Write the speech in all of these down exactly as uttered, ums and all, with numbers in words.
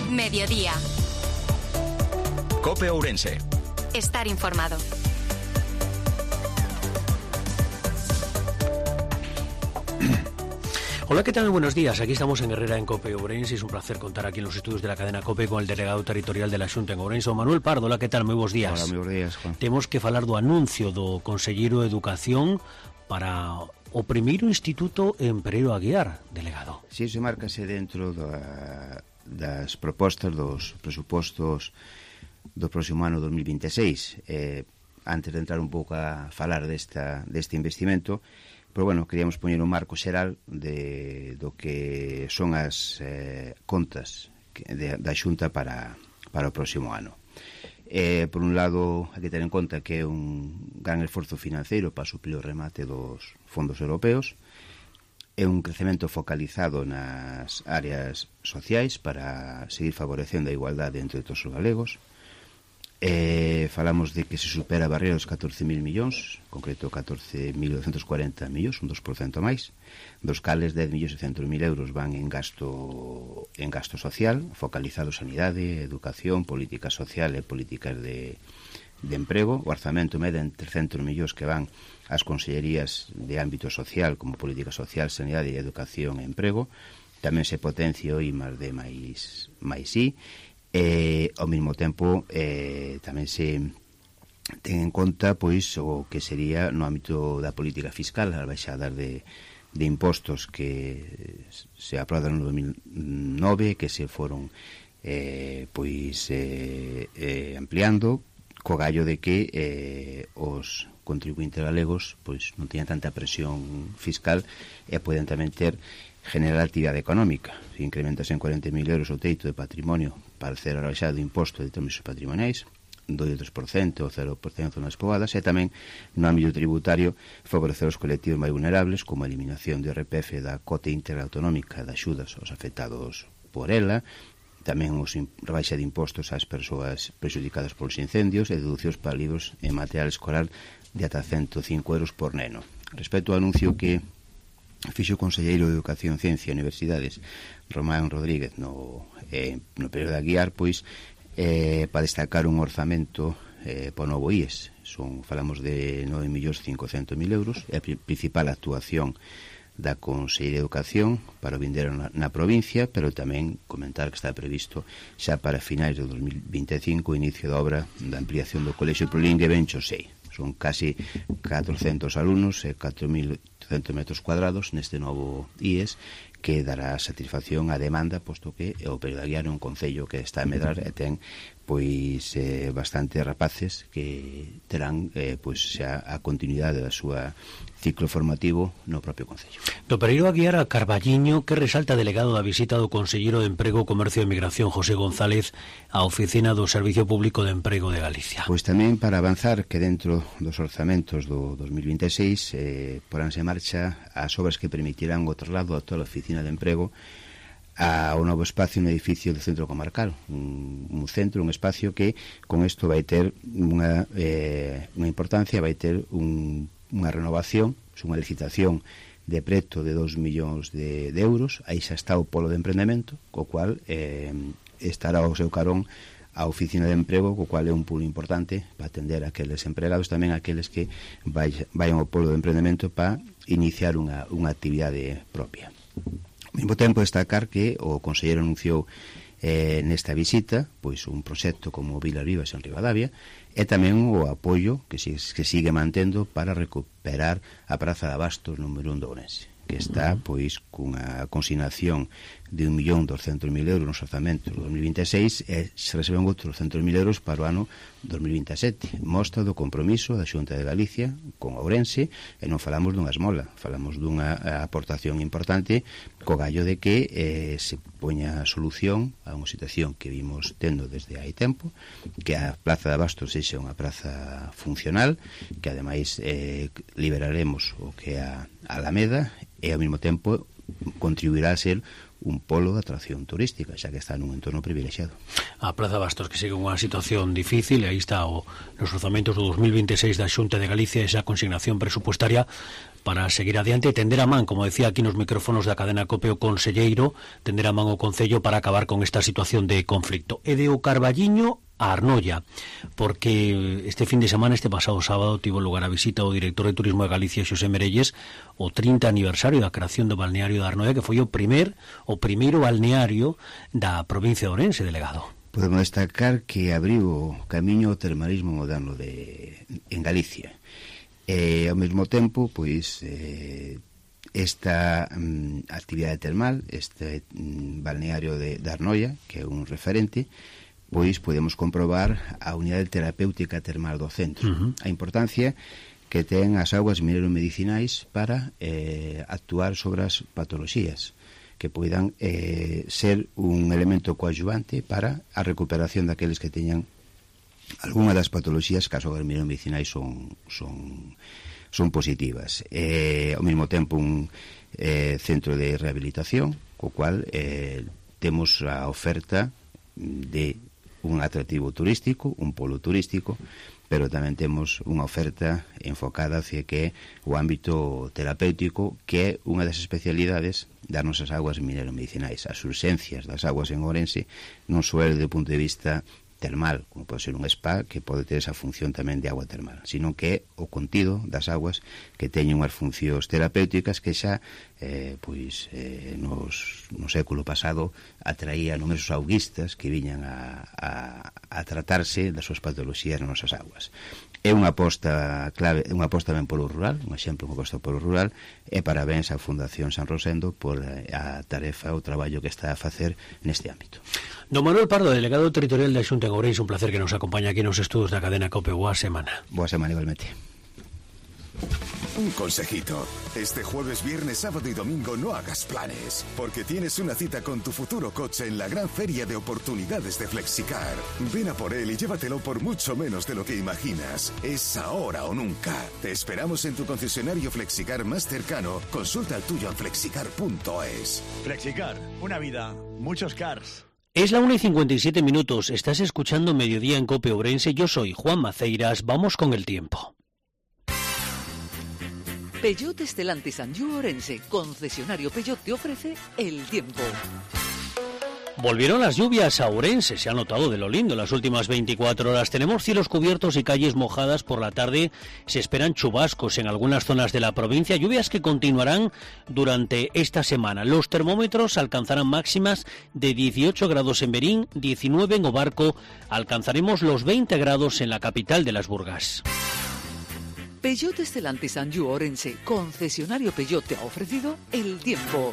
Mediodía. COPE Ourense. Estar informado. Hola, ¿qué tal? Muy buenos días. Aquí estamos en Herrera, en COPE Ourense. Es un placer contar aquí en los estudios de la cadena COPE con el delegado territorial de la Xunta en Ourense, Manuel Pardo. Hola, ¿qué tal? Muy buenos días. Hola, muy buenos días, Juan. Temos que falar do anuncio do Conselleiro de Educación para o primeiro Instituto en Pereiro Aguiar, delegado. Si, iso márcase dentro da, das propostas dos presupostos do próximo ano dos mil vinte e seis. Eh, antes de entrar un pouco a falar desta, deste investimento, pero bueno, queríamos poñer un marco xeral de, do que son as eh, contas de, da Xunta para, para o próximo ano. Eh, por un lado, hai que ter en conta que é un gran esforzo financeiro para suplir o remate dos fondos europeos, é un crecemento focalizado nas áreas sociais para seguir favorecendo a igualdade entre todos os galegos. Eh, falamos de que se supera a barreira dos catorce mil millóns, en concreto catorce mil novecientos cuarenta millóns, un dos por cento máis, dos cales dez millóns seiscentos mil euros van en gasto en gasto social, focalizado en sanidade, educación, política social e políticas de, de emprego. O orzamento mede en trescentos millóns que van ás consellerías de ámbito social, como política social, sanidade, educación e emprego. Tamén se potencia o I máis D máis, máis I. E, ao mesmo tempo, eh, tamén se ten en conta pois o que sería no ámbito da política fiscal, as baixadas de, de impostos que se aprobaron no dos mil nove, que se foron eh, pois eh, eh, ampliando, co gallo de que eh, os contribuintes galegos pois non teñan tanta presión fiscal e poden tamén ter generar actividade económica. Se incrementas en cuarenta mil euros o teito de patrimonio para ser rebaixado de imposto de términos patrimoniais, do tres por cento ou cero por cento nas poboadas, e tamén no ámbito tributario favorecer os colectivos máis vulnerables, como a eliminación do I R P F da cota íntegra autonómica de axudas aos afectados por ela, tamén os rebaixa de impostos ás persoas prexudicadas polos incendios e deducións para libros e material escolar de ata ciento cinco euros por neno. Respecto ao anuncio que fixo o Conselleiro de Educación, Ciencia e Universidades, Román Rodríguez, no, eh, no período de Aguiar, pois, eh, para destacar un orzamento eh, para o novo I E S. Son, falamos de nove millóns cincocentos mil euros, é a principal actuación da Consellería de Educación para o vindeiro na, na provincia, pero tamén comentar que está previsto xa para finais de dos mil vinte e cinco o inicio da obra da ampliación do Colexio Prolingue Bencho sei. Son casi catrocentos alumnos e catro mil oitocentos metros cuadrados neste novo I E S, que dará satisfacción á demanda, posto que o Pereiro de Aguiar é un concello que está a medrar e ten pois eh, bastante rapaces que terán eh, pois xa a continuidade da súa ciclo formativo no propio concello. Do Pereiro Aguiar a Carballiño, que resalta delegado da visita do Conselleiro de Emprego, Comercio e Migración, José González, á oficina do Servicio Público de Emprego de Galicia. Pois tamén para avanzar que dentro dos orzamentos do dos mil vinte e seis eh, poránse en marcha as obras que permitirán o traslado a toda a oficina de emprego ao novo espacio no edificio do centro comarcal, un, un centro, un espacio que con isto vai ter unha, eh, unha importancia, vai ter un, unha renovación, unha licitación de preto de dos millóns de, de euros. Aí xa está o polo de emprendemento, co cual eh, estará ao seu carón a oficina de emprego, co cual é un pulo importante para atender a aqueles empregados, tamén a aqueles que vai, vayan ao polo de emprendemento para iniciar unha, unha actividade propia. Ao mesmo tempo, destacar que o conselleiro anunciou eh, nesta visita pois un proxecto como Vilas Vivas en Ribadavia e tamén o apoio que, si, que sigue mantendo para recuperar a Praza de Abastos número un de Ourense, que está pois cunha consignación de un millón doscientos mil euros nos orzamentos do dos mil vinte e seis e se reciben outros doscientos mil euros para o ano dos mil vinte e sete. Mostra do compromiso da Xunta de Galicia con Ourense, e non falamos dunha esmola, falamos dunha aportación importante co gallo de que eh, se poña solución a unha situación que vimos tendo desde hai tempo, que a Praza de Abastos sexa unha praza funcional, que ademais eh, liberaremos o que é a Alameda, e ao mesmo tempo contribuirá a ser un polo de atracción turística, xa que está nun entorno privilexiado. A Praza Bastos, que sigue unha situación difícil, e aí está o, nos orzamentos do dos mil veintiséis da Xunta de Galicia, esa consignación presupuestaria para seguir adiante e tender a man, como decía aquí nos micrófonos da cadena COPE o conselleiro, tender a man o Concello para acabar con esta situación de conflicto. E de o Carballiño a Arnoia, porque este fin de semana, este pasado sábado, tivo lugar a visita ao director de Turismo de Galicia, Xosé Merelles, o trinta aniversario da creación do balneario de Arnoia, que foi o primer o primeiro balneario da provincia de Ourense, delegado. Podemos destacar que abriu o camiño ao termalismo moderno de, en Galicia. E, ao mesmo tempo, pois, eh, esta mm, actividade termal, este mm, balneario de, de Arnoia, que é un referente, pois podemos comprobar a unidade terapéutica termal do centro. Uh-huh. A importancia que ten as augas mineromedicinais para eh, actuar sobre as patoloxías, que poidan eh, ser un elemento coadyuvante para a recuperación daqueles que teñan algunha das patoloxías que as augas mineromedicinais son, son, son positivas. Eh, ao mesmo tempo un eh, centro de rehabilitación, co cual eh, temos a oferta de un atractivo turístico, un polo turístico, pero tamén temos unha oferta enfocada hacia que o ámbito terapéutico, que é unha das especialidades das nosas aguas mineromedicinais. As urxencias das aguas en Ourense non só é do punto de vista termal, como pode ser un spa, que pode ter esa función tamén de agua termal, sino que é o contido das aguas que teñen unhas funcións terapéuticas que xa eh, pois, eh, nos, no século pasado atraía numerosos auguistas que viñan a, a, a tratarse das súas patoloxías nas nosas aguas. É unha aposta clave, unha aposta ben polo rural, un exemplo, unha aposta polo rural, e parabéns á Fundación San Rosendo por a tarefa, o traballo que está a facer neste ámbito. Don Manuel Pardo, delegado territorial da Xunta en Ourense, un placer que nos acompaña aquí nos estudos da cadena COPE. Boa semana. Boa semana igualmente. Un consejito. Este jueves, viernes, sábado y domingo no hagas planes, porque tienes una cita con tu futuro coche en la gran feria de oportunidades de Flexicar. Ven a por él y llévatelo por mucho menos de lo que imaginas. Es ahora o nunca. Te esperamos en tu concesionario Flexicar más cercano. Consulta el tuyo en flexicar punto es. Flexicar, una vida, muchos cars. Es la una y cincuenta y siete minutos. Estás escuchando Mediodía en COPE Ourense. Yo soy Juan Maceiras. Vamos con el tiempo. Peugeot Stellantis Anjou Ourense, concesionario Peugeot, te ofrece el tiempo. Volvieron las lluvias a Ourense, se ha notado de lo lindo las últimas veinticuatro horas. Tenemos cielos cubiertos y calles mojadas por la tarde. Se esperan chubascos en algunas zonas de la provincia, lluvias que continuarán durante esta semana. Los termómetros alcanzarán máximas de dieciocho grados en Berín, diecinueve en Obarco. Alcanzaremos los veinte grados en la capital de las Burgas. Peugeot Stellantis Anjou Ourense, concesionario Peugeot, te ha ofrecido el tiempo.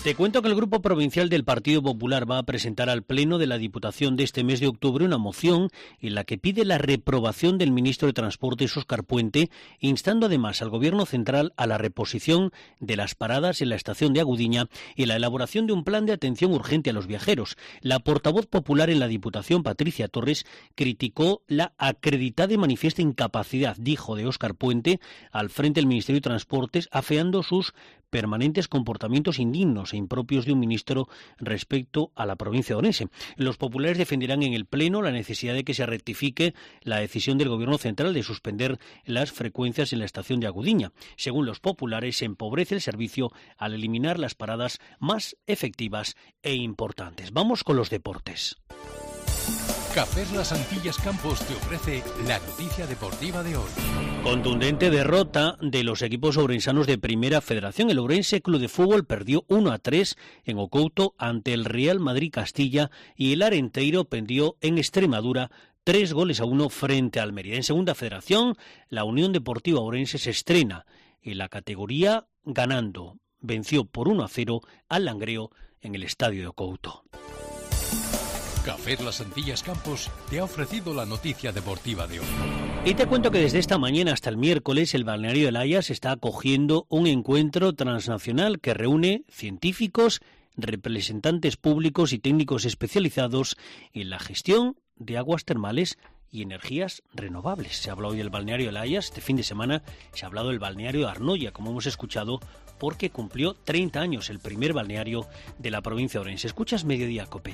Te cuento que el Grupo Provincial del Partido Popular va a presentar al Pleno de la Diputación de este mes de octubre una moción en la que pide la reprobación del ministro de Transportes, Óscar Puente, instando además al Gobierno central a la reposición de las paradas en la estación de Agudiña y la elaboración de un plan de atención urgente a los viajeros. La portavoz popular en la Diputación, Patricia Torres, criticó la acreditada y manifiesta incapacidad, dijo, de Óscar Puente al frente del Ministerio de Transportes, afeando sus permanentes comportamientos indignos e impropios de un ministro respecto a la provincia de Ourense. Los populares defenderán en el Pleno la necesidad de que se rectifique la decisión del Gobierno central de suspender las frecuencias en la estación de Agudiña. Según los populares, se empobrece el servicio al eliminar las paradas más efectivas e importantes. Vamos con los deportes. Cafés Las Antillas Campos te ofrece la noticia deportiva de hoy. Contundente derrota de los equipos ourensanos de Primera Federación. El Ourense Club de Fútbol perdió uno a tres en O Couto ante el Real Madrid Castilla y el Arenteiro perdió en Extremadura tres goles a uno frente a Almería. En Segunda Federación, la Unión Deportiva Ourense se estrena en la categoría ganando. Venció por uno a cero al Langreo en el estadio de O Couto. Café Las Antillas Campos te ha ofrecido la noticia deportiva de hoy. Y te cuento que desde esta mañana hasta el miércoles el balneario de Layas está acogiendo un encuentro transnacional que reúne científicos, representantes públicos y técnicos especializados en la gestión de aguas termales y energías renovables. Se ha hablado hoy del balneario de La Haya, este fin de semana se ha hablado del balneario de Arnoia, como hemos escuchado, porque cumplió treinta años el primer balneario de la provincia de Orense. Escuchas Mediodía Cope.